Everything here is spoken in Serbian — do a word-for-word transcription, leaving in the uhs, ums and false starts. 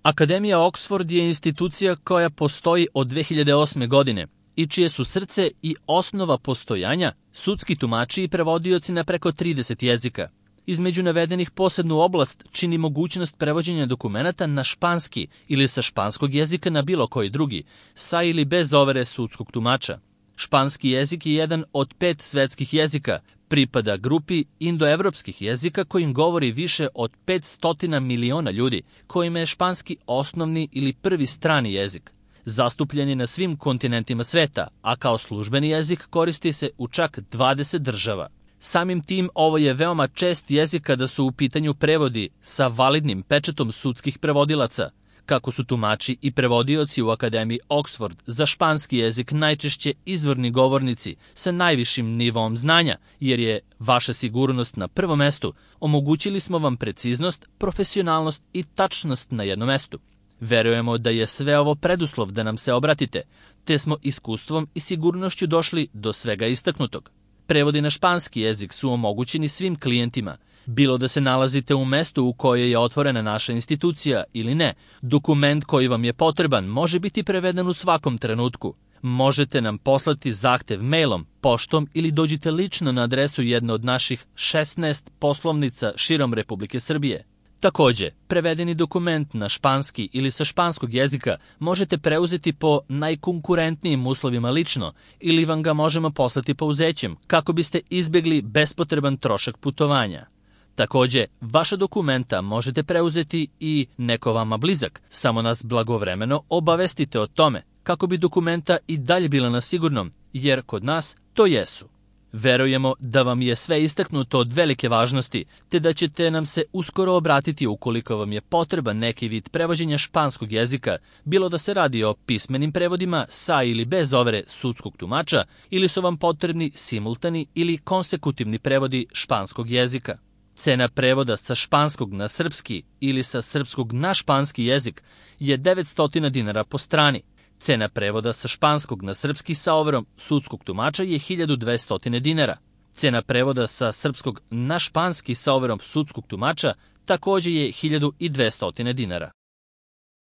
Akademija Oxford je institucija koja postoji od dve hiljade osme. godine i čije su srce i osnova postojanja sudski tumači i prevodioci na preko trideset jezika. Između navedenih posebnu oblast čini mogućnost prevođenja dokumenata na španski ili sa španskog jezika na bilo koji drugi, sa ili bez overe sudskog tumača. Španski jezik je jedan od pet svetskih jezika, pripada grupi indoevropskih jezika kojim govori više od petsto miliona ljudi, kojima je španski osnovni ili prvi strani jezik. Zastupljen je na svim kontinentima sveta, a kao službeni jezik koristi se u čak dvadeset država. Samim tim, ovo je veoma čest jezik kada su u pitanju prevodi sa validnim pečatom sudskih prevodilaca. Kako su tumači i prevodioci u Akademiji Oxford za španski jezik najčešće izvorni govornici sa najvišim nivoom znanja, jer je vaša sigurnost na prvom mestu, omogućili smo vam preciznost, profesionalnost i tačnost na jednom mestu. Verujemo da je sve ovo preduslov da nam se obratite, te smo iskustvom i sigurnošću došli do svega istaknutog. Prevodi na španski jezik su omogućeni svim klijentima, bilo da se nalazite u mestu u kojoj je otvorena naša institucija ili ne. Dokument koji vam je potreban može biti preveden u svakom trenutku. Možete nam poslati zahtev mailom, poštom ili dođite lično na adresu jedne od naših šesnaest poslovnica širom Republike Srbije. Takođe, prevedeni dokument na španski ili sa španskog jezika možete preuzeti po najkonkurentnijim uslovima lično ili vam ga možemo poslati pouzećem kako biste izbjegli bespotreban trošak putovanja. Takođe, vaša dokumenta možete preuzeti i neko vama blizak, samo nas blagovremeno obavestite o tome kako bi dokumenta i dalje bila na sigurnom, jer kod nas to jesu. Verujemo da vam je sve istaknuto od velike važnosti, te da ćete nam se uskoro obratiti ukoliko vam je potreban neki vid prevođenja španskog jezika, bilo da se radi o pismenim prevodima sa ili bez overe sudskog tumača, ili su vam potrebni simultani ili konsekutivni prevodi španskog jezika. Cena prevoda sa španskog na srpski ili sa srpskog na španski jezik je devetsto dinara po strani. Cena prevoda sa španskog na srpski sa overom sudskog tumača je hiljadu dvesta dinara. Cena prevoda sa srpskog na španski sa overom sudskog tumača takođe je hiljadu dvesta dinara.